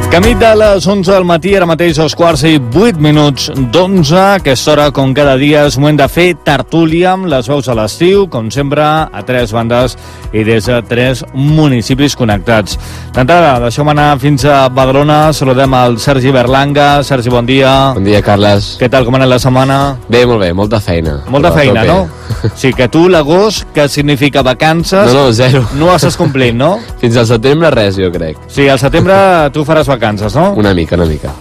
Camí de les 11 del matí, ara mateix 2:08 d'11. Aquesta hora, com cada dia, és moment de fer tertúlia amb les veus a l'estiu, com sempre, a 3 bandes i des de 3 municipis connectats. D'entrada, deixeu-me anar fins a Badalona. Saludem al Sergi Berlanga. Sergi, bon dia. Bon dia, Carles. Què tal, com ha anat la setmana? Bé, molt bé, molta feina. Molta feina, no? Sí, que tu l'agost, que significa vacances... No, zero. No ho estàs complint, no? Fins al setembre res, jo crec. Sí, al setembre tu faràs vacances, no? Una mica.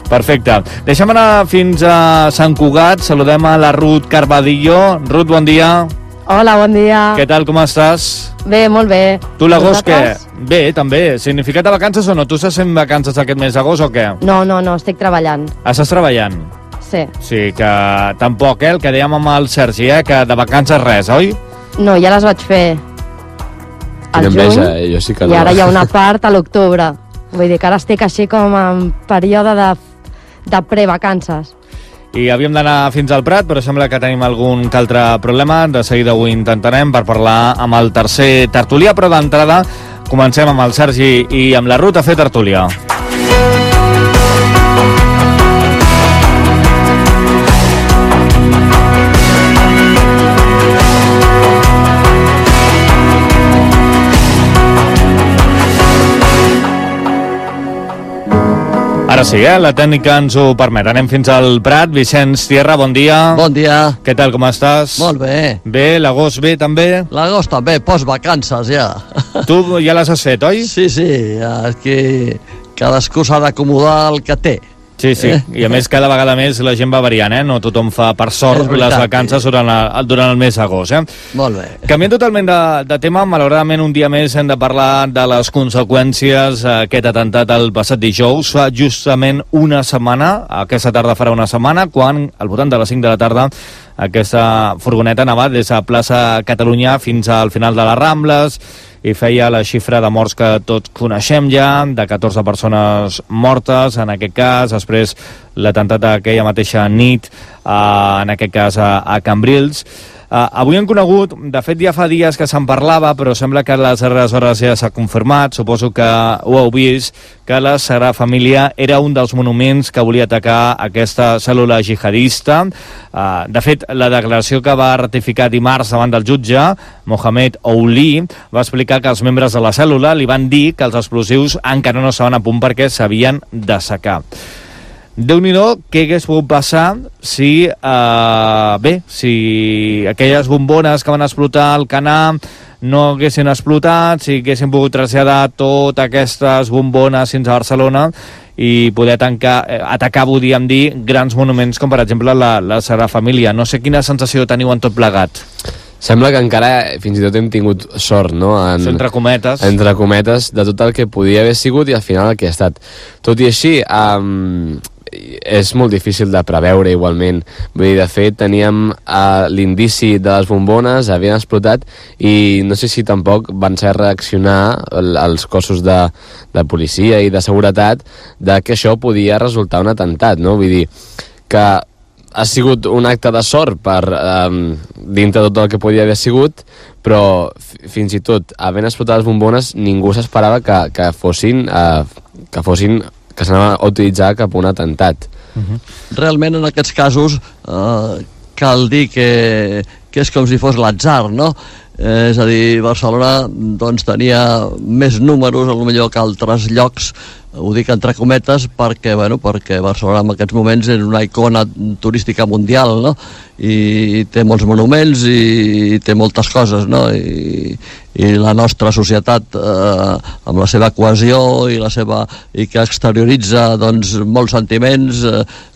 Perfecte. Deixem anar fins a Sant Cugat. Saludem a la Ruth Carvadillo. Ruth, bon dia. Hola, bon dia. Què tal, com estàs? Bé, molt bé. Tu l'agost què? Bé, també. Significat de vacances o no? Tu estàs fent vacances aquest mes d'agost o què? No, estic treballant. Estàs treballant? Sí. Sí, que tampoc, el que dèiem amb el Sergi, que de vacances res, oi? No, ja les vaig fer al Quina juny enveja, jo sí que no. I ara hi ha una part a l'octubre. Vull dir que ara estic així com en període de prevacances. I havíem d'anar fins al Prat, però sembla que tenim algun que altre problema. De seguida ho intentarem per parlar amb el tercer tertulià, però d'entrada comencem amb el Sergi i amb la Ruth a fer tertúlia. Ara sí, la tècnica ens ho permet. Anem fins al Prat. Vicenç Tierra, bon dia. Bon dia. Què tal, com estàs? Molt bé. Bé, l'agost bé, també? L'agost també, postvacances ja. Tu ja les has fet, oi? Sí, aquí cadascú s'ha d'acomodar el que té. Sí, i a més cada vegada més la gent va variant, No tothom fa, per sort, les vacances durant el mes d'agost, Molt bé. Canviant totalment de tema, malauradament un dia més hem de parlar de les conseqüències d'aquest atemptat el passat dijous. Fa justament una setmana, aquesta tarda farà una setmana, quan al voltant de les 5 de la tarda aquesta furgoneta anava des de plaça Catalunya fins al final de les Rambles i feia la xifra de morts que tots coneixem ja, de 14 persones mortes, en aquest cas, després l'atemptat d'aquella mateixa nit, en aquest cas a Cambrils. Avui hem conegut, de fet ja fa dies que se'n parlava, però sembla que a les darreres hores ja s'ha confirmat, suposo que ho heu vist, que la Sagrada Família era un dels monuments que volia atacar aquesta cèl·lula jihadista. De fet, la declaració que va ratificar dimarts davant del jutge, Mohamed Ouli, va explicar que els membres de la cèl·lula li van dir que els explosius encara no estaven a punt perquè s'havien d'assecar. Déu-n'hi-do, què hagués pogut passar si aquelles bombones que van explotar al Canà no haguessin explotat, si haguessin pogut traslladar totes aquestes bombones fins a Barcelona i poder atacar, podríem dir, grans monuments com per exemple la Sagrada Família. No sé quina sensació teniu en tot plegat. Sembla que encara fins i tot hem tingut sort, no? Entre cometes. Entre cometes, de tot el que podia haver sigut i al final el que ha estat. Tot i així, és molt difícil de preveure igualment. Vull dir, de fet, teníem l'indici de les bombones, havien explotat i no sé si tampoc van ser reaccionar els cossos de policia i de seguretat de que això podia resultar un atemptat, no? Vull dir, que ha sigut un acte de sort per dintre tot el que podia haver sigut, però fins i tot havent explotat les bombones ningú s'esperava que s'anava a utilitzar cap a un atemptat. Realment en aquests casos cal dir que és com si fos l'atzar, no? És a dir, Barcelona doncs, tenia més números potser que altres llocs, ho dic entre cometes perquè Barcelona en aquests moments és una icona turística mundial, no? I té molts monuments i té moltes coses, no? I la nostra societat amb la seva cohesió i que exterioritza doncs, molts sentiments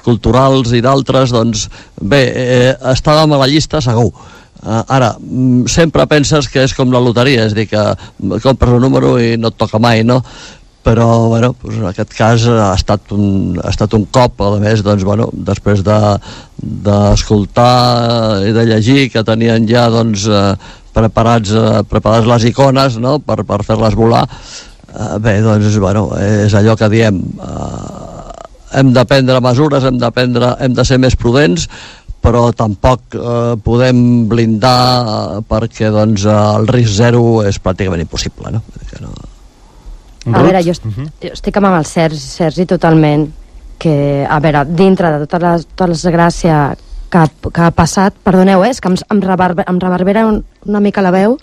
culturals i d'altres, doncs bé, estàvem a la llista segur. Ara, sempre penses que és com la loteria, és a dir, que compres un número i no et toca mai, no? Però, bueno, en aquest cas ha estat un cop, a més, doncs, bueno, després d'escoltar i de llegir que tenien ja, doncs, preparades les icones, no?, per fer-les volar. Bé, doncs, bueno, és allò que diem, hem de prendre mesures, hem de ser més prudents, però tampoc podem blindar perquè doncs, el risc zero és pràcticament impossible, no? A veure, jo estic amb el Sergi totalment, que, a veure, dintre de tota la desgràcia que ha passat, perdoneu, és que em reverbera una mica la veu.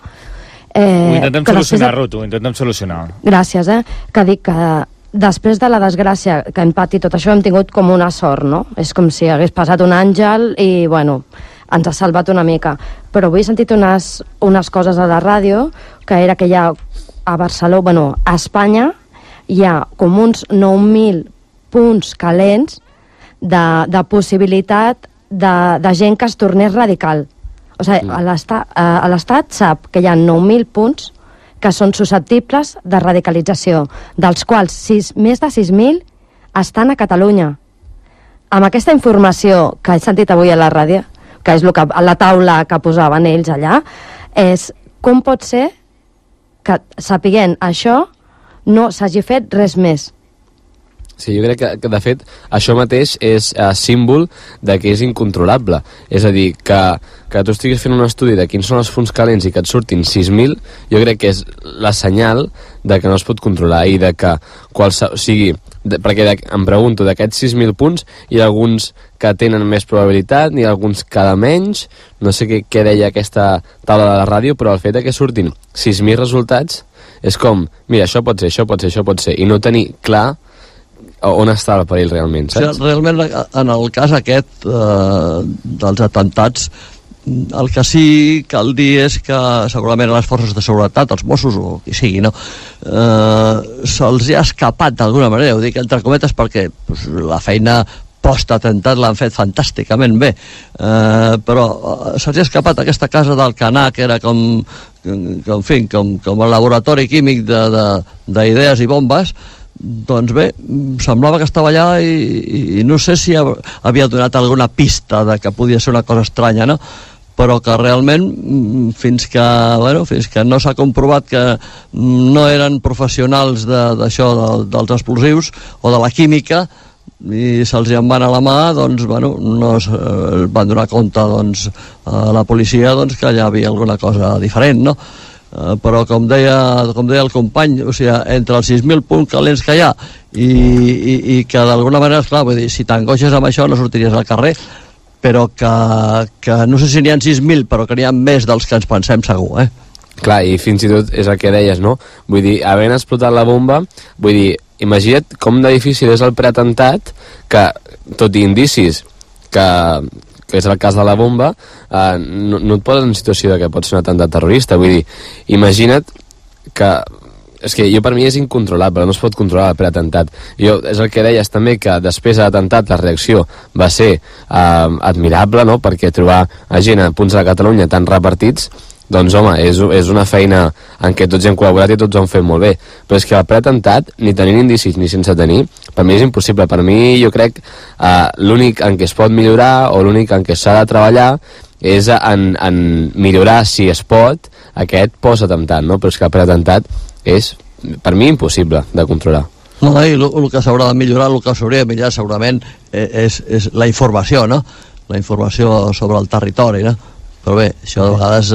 Ho intentem solucionar, Ruth, ho intentem solucionar. Gràcies, que dic que després de la desgràcia que hem patit tot això hem tingut com una sort, no? És com si hagués passat un àngel i, bueno, ens ha salvat una mica. Però avui he sentit unes coses a la ràdio, que era que hi ha a Barcelona, bueno, a Espanya, hi ha com uns 9.000 punts calents de possibilitat de gent que es tornés radical. O sigui, a l'Estat sap que hi ha 9.000 punts que són susceptibles de radicalització, dels quals més de 6.000 estan a Catalunya. Amb aquesta informació que he sentit avui a la ràdio, que és a la taula que posaven ells allà, és com pot ser que, sapiguent això, no s'hagi fet res més. Sí, jo crec que de fet, això mateix és símbol de que és incontrolable. És a dir, que tu estiguis fent un estudi de quins són els punts calents i que et surtin 6.000, jo crec que és la senyal de que no es pot controlar i de que perquè em pregunto, d'aquests 6.000 punts hi ha alguns que tenen més probabilitat, n'hi ha alguns que de menys, no sé què deia aquesta taula de la ràdio, però el fet que surtin 6.000 resultats és com, mira, això pot ser, això pot ser, això pot ser, i no tenir clar on està el perill realment, saps? Sí, realment, en el cas aquest dels atentats, el que sí cal dir és que segurament a les forces de seguretat, els Mossos o qui sigui, no? Se'ls ha escapat d'alguna manera, ho dic entre cometes perquè la feina post-atemptat l'han fet fantàsticament bé, però se'ls ha escapat aquesta casa d'Alcanar, que era com el laboratori químic d'idees i bombes. Doncs bé, semblava que estava allà i no sé si havia donat alguna pista de que podia ser una cosa estranya, no? Però que realment fins que no s'ha comprovat que no eren professionals d'això, dels explosius o de la química, i se'ls en van a la mà, doncs, bueno, no es van donar compte, doncs, a la policia, doncs, que allà havia alguna cosa diferent, no? Però com deia el company, o sigui, entre els 6.000 punts calents que hi ha i que d'alguna manera, esclar, vull dir, si t'angoixes amb això no sortiries al carrer, però que no sé si n'hi ha 6.000, però que n'hi ha més dels que ens pensem segur, Clar, i fins i tot és el que deies, no? Vull dir, havent explotat la bomba, vull dir, imagina't com de difícil és el preatemptat, que, tot i indicis que és el cas de la bomba, no et poses en situació de que pot ser un atemptat terrorista. Vull dir, imagina't que... És que per mi és incontrolable, no es pot controlar el preatemptat. És el que deies també, que després de l'atemptat la reacció va ser admirable, no?, perquè trobar gent a punts de Catalunya tan repartits, doncs home, és una feina en què tots hem col·laborat i tots ho han fet molt bé, però és que el preatemptat, ni tenint indicis ni sense tenir, per mi és impossible. Per mi, jo crec, l'únic en què es pot millorar o l'únic en què s'ha de treballar és en millorar, si es pot, aquest post-atemptat, no? Però és que el preatemptat és, per mi, impossible de controlar. No, i el que s'haurà de millorar, el que s'hauria de millorar segurament és la informació, no? La informació sobre el territori, no? Però bé, això de vegades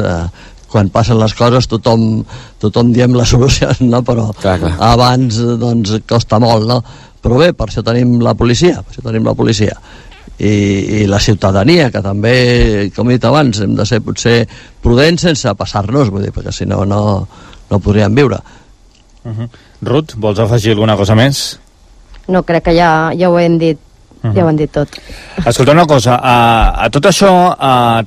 quan passen les coses tothom diem les solucions, no? Però clar. Abans doncs costa molt, no? Però bé, per això tenim la policia, i la ciutadania, que també, com he dit abans, hem de ser potser prudents sense passar-nos, vull dir, perquè si no podríem viure. Ruth, vols afegir alguna cosa més? No, crec que ja ho hem dit. Ja ho han dit tot. Escolta una cosa, a tot això,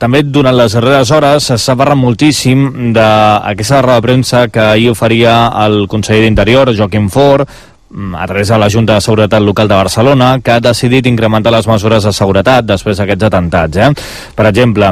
també durant les darreres hores s'ha parlat moltíssim d'aquesta roda de premsa que ahir oferia el conseller d'Interior, Joaquim Forn, a través de la Junta de Seguretat Local de Barcelona, que ha decidit incrementar les mesures de seguretat després d'aquests atemptats. Per exemple,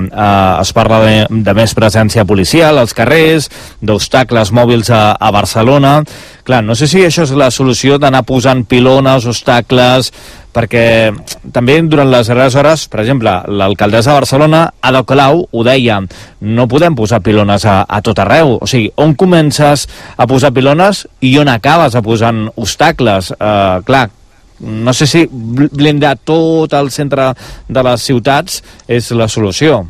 es parla de més presència policial als carrers, d'obstacles mòbils a Barcelona. Clar, no sé si això és la solució d'anar posant pilones, obstacles, perquè també durant les darreres hores, per exemple, l'alcaldessa de Barcelona, Ada Colau, ho deia, no podem posar pilones a tot arreu. O sigui, on comences a posar pilones i on acabes a posant obstacles? Clar, no sé si blindar tot el centre de les ciutats és la solució.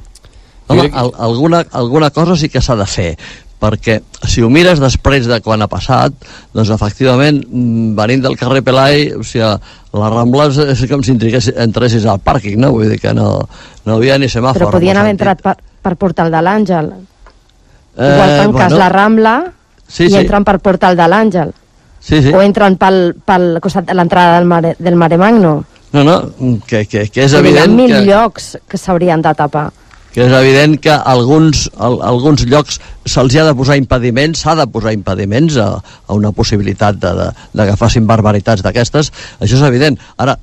Home, alguna cosa sí que s'ha de fer, perquè si ho mires després de quan ha passat, doncs efectivament, venint del carrer Pelai, o sigui, la Rambla és com si entressis al pàrquing, no? Vull dir que no havia ni semàfor. Però podien haver entrat per Portal de l'Àngel. Igual tanques la Rambla i entren per Portal de l'Àngel. O entren pel costat de l'entrada del Maremagno. No, que és evident que... Hi ha 1000 llocs que s'haurien de tapar. Que és evident que alguns llocs se'ls ha de posar impediments, s'ha de posar impediments a una possibilitat de que facin barbaritats d'aquestes, això és evident. Ara,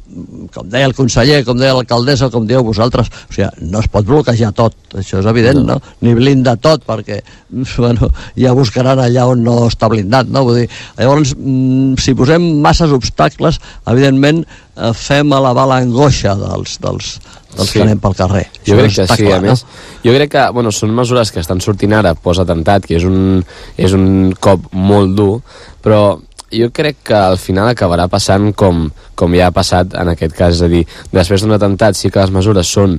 com deia el conseller, com deia l'alcaldessa, com dieu vosaltres, o sigui, no es pot bloquejar tot, això és evident, no? Ni blindar tot, perquè bueno, ja buscaran allà on no està blindat, no? Vull dir, llavors, si posem masses obstacles, evidentment fem elevar l'angoixa dels que anem pel carrer. Jo crec que sí, a més. Jo crec que, bueno, són mesures que estan sortint ara post-atemptat, que és un cop molt dur, però jo crec que al final acabarà passant com ja ha passat en aquest cas, és a dir, després d'un atemptat sí que les mesures són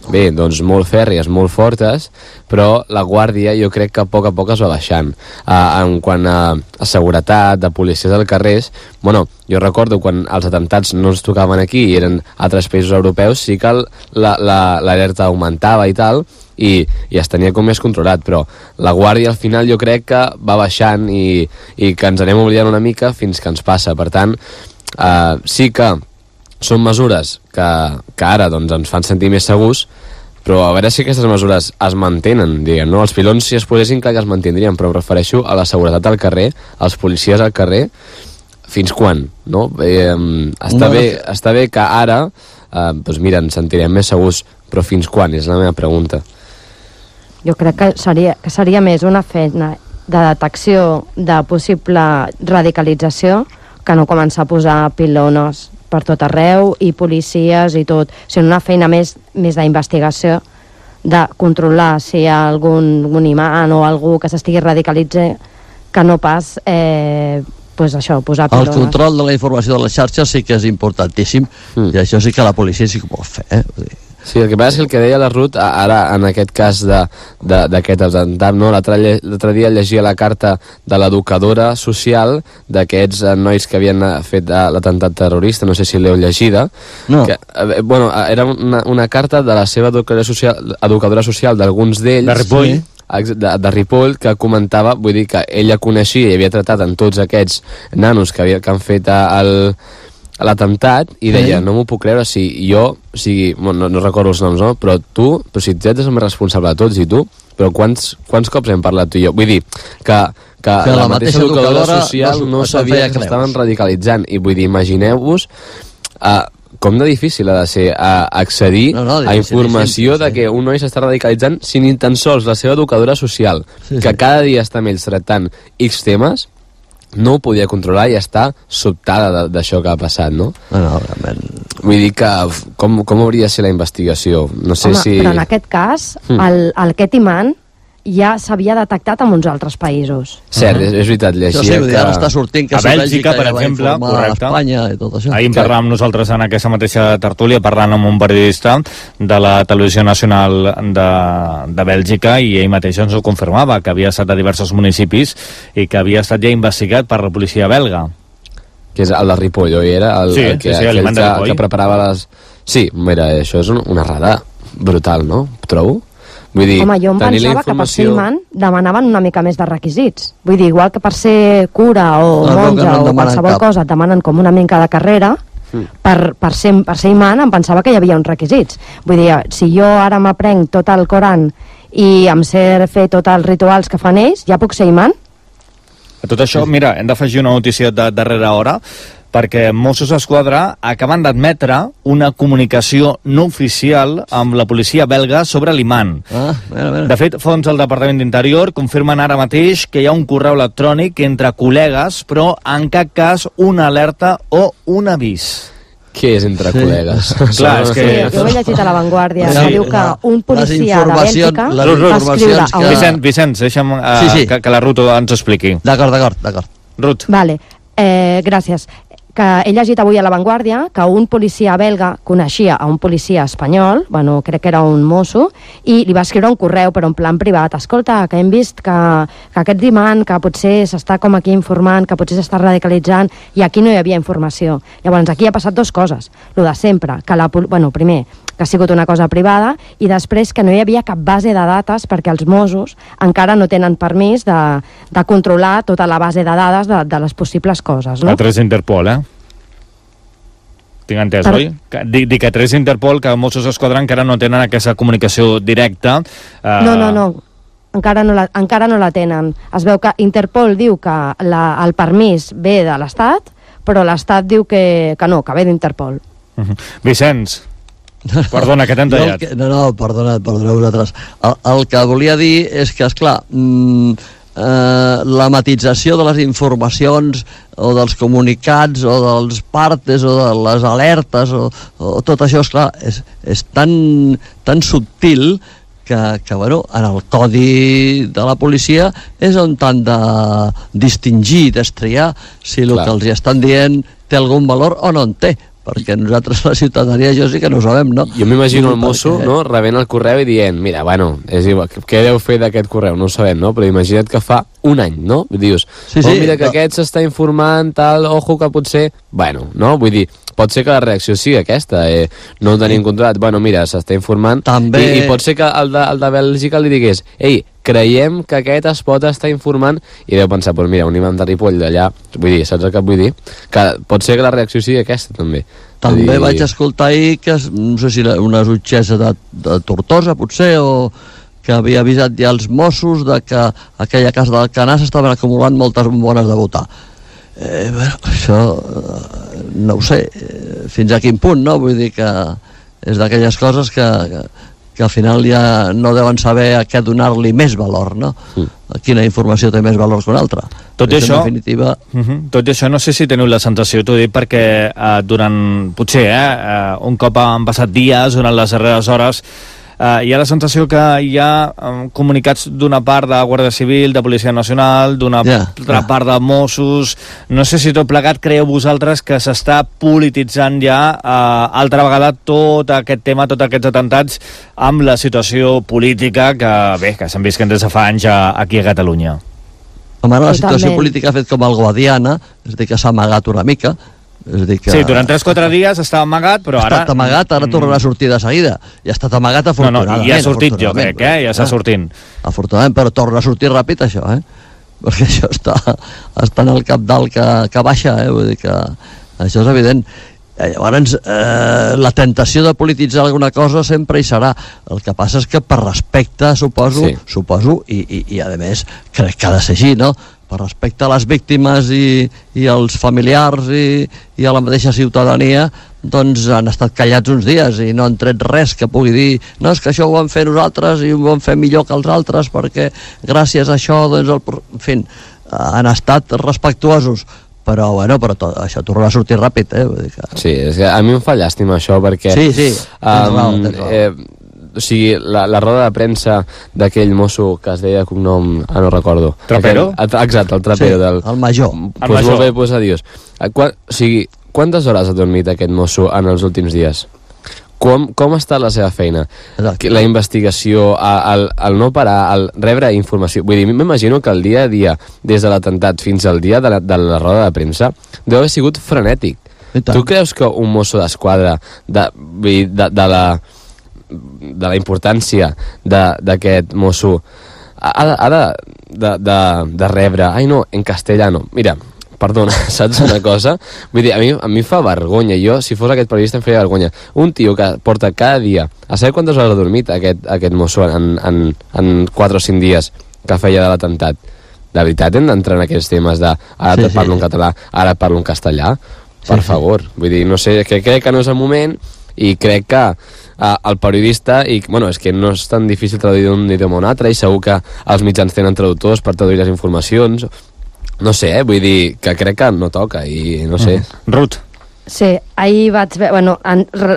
doncs molt fèrries, molt fortes, però la guàrdia jo crec que a poc es va baixant. En quant a seguretat, de policies al carrers, bueno, jo recordo quan els atemptats no ens tocaven aquí i eren altres països europeus, sí que l'alerta augmentava i tal, i es tenia com més controlat, però la guàrdia al final jo crec que va baixant i que ens anem oblidant una mica fins que ens passa. Per tant, sí que són mesures que ara doncs, ens fan sentir més segurs, però a veure si aquestes mesures es mantenen, diguem, no? Els pilons, si es posessin, clar que es mantindrien, però em refereixo a la seguretat al carrer, als policies al carrer, fins quan, no? Està bé que ara, doncs mira, ens sentirem més segurs, però fins quan, és la meva pregunta. Jo crec que seria més una feina de detecció de possible radicalització que no començar a posar pilones per tot arreu i policies i tot, sinó una feina més d'investigació, de controlar si hi ha algun imant o algú que s'estigui radicalitzant, que no pas pues això, posar pilones. El control de la informació de les xarxes sí que és importantíssim i això sí que la policia sí que ho pot fer, Sí, el que passa és que el que deia la Ruth, ara en aquest cas d'aquest atemptat, no? L'altre dia llegia la carta de l'educadora social d'aquests nois que havien fet l'atemptat terrorista, no sé si l'heu llegida. No. Que, bueno, era una carta de la seva educadora social d'alguns d'ells. De Ripoll. De Ripoll, que comentava, vull dir que ella coneixia i havia tratat amb tots aquests nanos que han fet l'atemptat i deia, no m'ho puc creure si jo, no recordo els noms, no? Però si tu ets el més responsable de tots i tu, però quants cops hem parlat tu i jo? Vull dir que la mateixa educadora social no sabia que s'estaven radicalitzant i vull dir, imagineu-vos com de difícil ha de ser accedir a informació de que un noi s'està radicalitzant si ni tan sols la seva educadora social, que cada dia està amb ells tractant X temes, no ho podia controlar i està sobtada d'això que ha passat, no? No, realment. Vull dir que com hauria de ser la investigació? No sé si... Però en aquest cas, aquest imant ja s'havia detectat en uns altres països. Cert, és veritat, llegia que... Ara està sortint que a Bèlgica, per exemple, correcte. Espanya i tot això. Ahir en parlàvem nosaltres en aquesta mateixa tertúlia, parlant amb un periodista de la Televisió Nacional de Bèlgica, i ell mateix ens ho confirmava, que havia estat a diversos municipis i que havia estat ja investigat per la policia belga. Que és el de Ripoll, oi? Era el que preparava les... Sí, mira, això és una errada brutal, no? Trobo? Vull dir, home, jo em pensava que per ser imant demanaven una mica més de requisits. Vull dir, igual que per ser cura o monja o qualsevol cosa et demanen com una mica de carrera, per ser imant em pensava que hi havia uns requisits. Vull dir, si jo ara m'aprenc tot el Coran i em sé fer tots els rituals que fan ells, ja puc ser imant? A tot això, mira, hem d'afegir una notícia de darrera hora, perquè Mossos d'Esquadra acaben d'admetre una comunicació no oficial amb la policia belga sobre l'imant. De fet, fonts del Departament d'Interior confirmen ara mateix que hi ha un correu electrònic entre col·legues, però en cap cas una alerta o un avís. Què és entre col·legues? Clar, és que... Jo ho he llegit a La Vanguardia, que diu que un policia de Bèlgica va escriure a un... Vicenç, deixa'm que la Ruth ens ho expliqui. D'acord. Ruth. Vale, gràcies. que he llegit avui a La Vanguardia que un policia belga coneixia a un policia espanyol, bueno, crec que era un mosso, i li va escriure un correu, però en plan privat: escolta, que hem vist que aquest dimant, que potser s'està com aquí informant, que potser s'està radicalitzant, i aquí no hi havia informació. Llavors, aquí ha passat dues coses. Lo de sempre, que primer, que ha sigut una cosa privada, i després que no hi havia cap base de dades perquè els Mossos encara no tenen permís de controlar tota la base de dades de les possibles coses, no? A través d'Interpol, Tinc entès, oi? Dic que a través d'Interpol, que Mossos d'Esquadra encara no tenen aquesta comunicació directa. No. Encara no la tenen. Es veu que Interpol diu que el permís ve de l'Estat, però l'Estat diu que no, que ve d'Interpol. Vicenç, perdona, que t'hem tallat. No, perdoneu vosaltres. El que volia dir és que, esclar, la matització de les informacions o dels comunicats o dels partes o de les alertes o tot això, esclar, és tan subtil que bueno, en el codi de la policia és on t'han de distingir, destriar si el que els hi estan dient té algun valor o no en té, perquè nosaltres, la ciutadania, jo sí que no ho sabem, no? Jo m'imagino el mosso, no?, rebent el correu i dient, mira, bueno, és igual, què deu fer d'aquest correu? No ho sabem, no? Però imagina't que fa un any, no? Dius, mira que aquest s'està informant, tal, ojo, que potser... Bueno, no? Vull dir, pot ser que la reacció sigui aquesta, no ho tenim controlat, bueno, mira, s'està informant, també... i pot ser que el de Bèlgica li digués, ei, creiem que aquest es pot estar informant, i deu pensar, doncs mira, un imam de Ripoll d'allà, vull dir, saps el que vull dir? Que pot ser que la reacció sigui aquesta, també. També vaig escoltar ahir que, no sé si una jutgessa de Tortosa, potser, o que havia avisat ja els Mossos de que a aquella casa del Canà s'estaven acumulant moltes bombones de votar. Bueno, això no ho sé fins a quin punt, no? Vull dir que és d'aquelles coses que al final ja no deuen saber a què donar-li més valor, no? Quina informació té més valor que una altra. Tot i això, definitiva... tot i això, no sé si teniu la sensació, t'ho dic perquè durant, potser, un cop han passat dies, durant les darreres hores, hi ha la sensació que hi ha comunicats d'una part de Guàrdia Civil, de Policia Nacional, d'una altra part de Mossos. No sé si tot plegat creieu vosaltres que s'està polititzant ja altra vegada tot aquest tema, tots aquests atentats, amb la situació política que s'han vist des de fa anys aquí a Catalunya. Home, la situació política ha fet com el Guadiana, és a dir, que s'ha amagat una mica. Sí, durant 3-4 dies estava amagat, però ara... Ha estat amagat, ara tornarà a sortir de seguida. I ha estat amagat afortunadament. No, i ha sortit, jo crec, ja està sortint. Afortunadament, però torna a sortir ràpid, això, perquè això està en el cap dalt que baixa, vull dir que això és evident. Llavors, la tentació de polititzar alguna cosa sempre hi serà. El que passa és que per respecte, suposo, i a més, crec que ha de ser així, no?, per respecte a les víctimes i als familiars i a la mateixa ciutadania, doncs han estat callats uns dies i no han tret res que pugui dir no, és que això ho vam fer nosaltres i ho vam fer millor que els altres perquè gràcies a això, doncs, en fi, han estat respectuosos. Però, bueno, això tornarà a sortir ràpid, vull dir que... Sí, és que a mi em fa llàstima això, perquè... Sí, tens raó. O sigui, la roda de premsa d'aquell mosso que es deia cognom... no recordo. Trapero? Exacte, el Trapero. Sí, el major. Pues molt bé, pues adiós. O sigui, quantes hores ha dormit aquest mosso en els últims dies? Com està la seva feina? La investigació, el no parar, el rebre informació... Vull dir, m'imagino que el dia a dia, des de l'atemptat fins al dia de la roda de premsa, deu haver sigut frenètic. Tu creus que un mosso d'esquadra de la importància d'aquest mosso ha de rebre... Ai, no, en castellano. Mira, perdona, saps una cosa? Vull dir, a mi fa vergonya. Jo, si fos aquest periodista, em feia vergonya. Un tio que porta cada dia... A saber quantes hores ha dormit aquest mosso en 4 o 5 dies que feia de l'atemptat. De veritat, hem d'entrar en aquests temes de ara parlo en català, ara parlo en castellà? Per favor. Vull dir, no sé, crec que no és el moment i crec que el periodista, i bueno, és que no és tan difícil traduir d'un idioma a un altre i segur que els mitjans tenen traductors per traduir les informacions, no sé, vull dir que crec que no toca i no sé. Ruth. Sí, ahir vaig veure, bueno,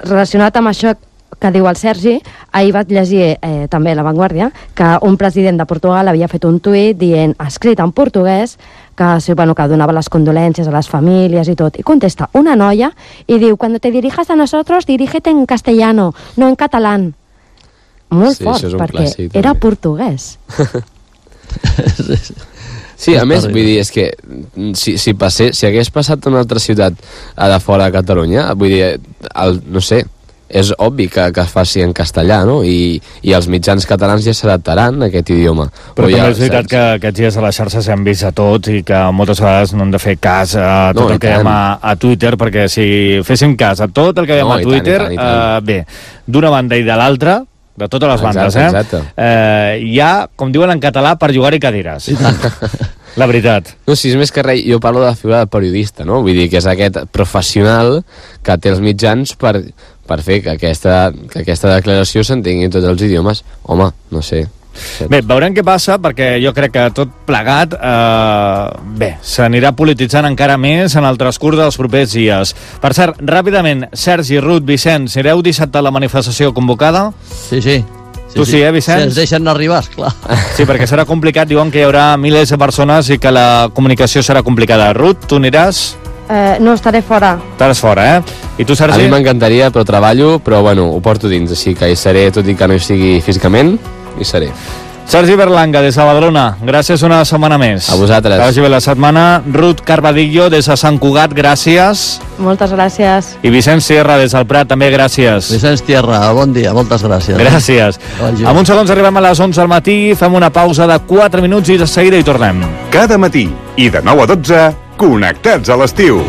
relacionat amb això que diu el Sergi, ahir vaig llegir també a La Vanguardia, que un president de Portugal havia fet un tuit dient, escrit en portuguès, que donava les condolències a les famílies i tot, i contesta una noia i diu, cuando te dirijas a nosotros, dirígete en castellano, no en catalán. Molt fort, perquè clàssic, era portuguès. Sí, a més, vull dir, és que si hagués passat a una altra ciutat de fora de Catalunya, vull dir, no sé, és obvi que es faci en castellà, no? I els mitjans catalans ja s'adaptaran a aquest idioma. Però també és veritat que aquests dies a les xarxes hem vist a tots i que moltes vegades no hem de fer cas a tot el que veiem a Twitter, perquè si féssim cas a tot el que veiem a Twitter, bé, d'una banda i de l'altra, de totes les bandes, hi ha, com diuen en català, per jugar-hi cadires. La veritat. No, si és més que res, jo parlo de la figura del periodista, no? Vull dir que és aquest professional que té els mitjans per fer que aquesta declaració s'entengui en tots els idiomes. Home, no sé. Bé, veurem què passa, perquè jo crec que tot plegat s'anirà polititzant encara més en el transcurs dels propers dies. Per cert, ràpidament, Sergi, Ruth, Vicenç, anireu dissabte a la manifestació convocada? Sí. Tu sí, Vicenç? Si ens deixen arribar, esclar. Sí, perquè serà complicat, diuen que hi haurà milers de persones i que la comunicació serà complicada. Ruth, tu aniràs? No, estaré fora. Estaràs fora, I tu, Sergi? A mi m'encantaria, però treballo, però bueno, ho porto dins, així que hi seré, tot i que no hi sigui físicament, hi seré. Sergi Berlanga, des de Badalona, gràcies una setmana més. A vosaltres. Que vagi bé la setmana. Ruth Carvadillo, des de Sant Cugat, gràcies. Moltes gràcies. I Vicenç Sierra, des del Prat, també gràcies. Vicenç Sierra, bon dia, moltes gràcies. Gràcies. En uns segons arribem a les 11 del matí, fem una pausa de 4 minuts i de seguida hi tornem. Cada matí i de 9 a 12, connectats a l'estiu.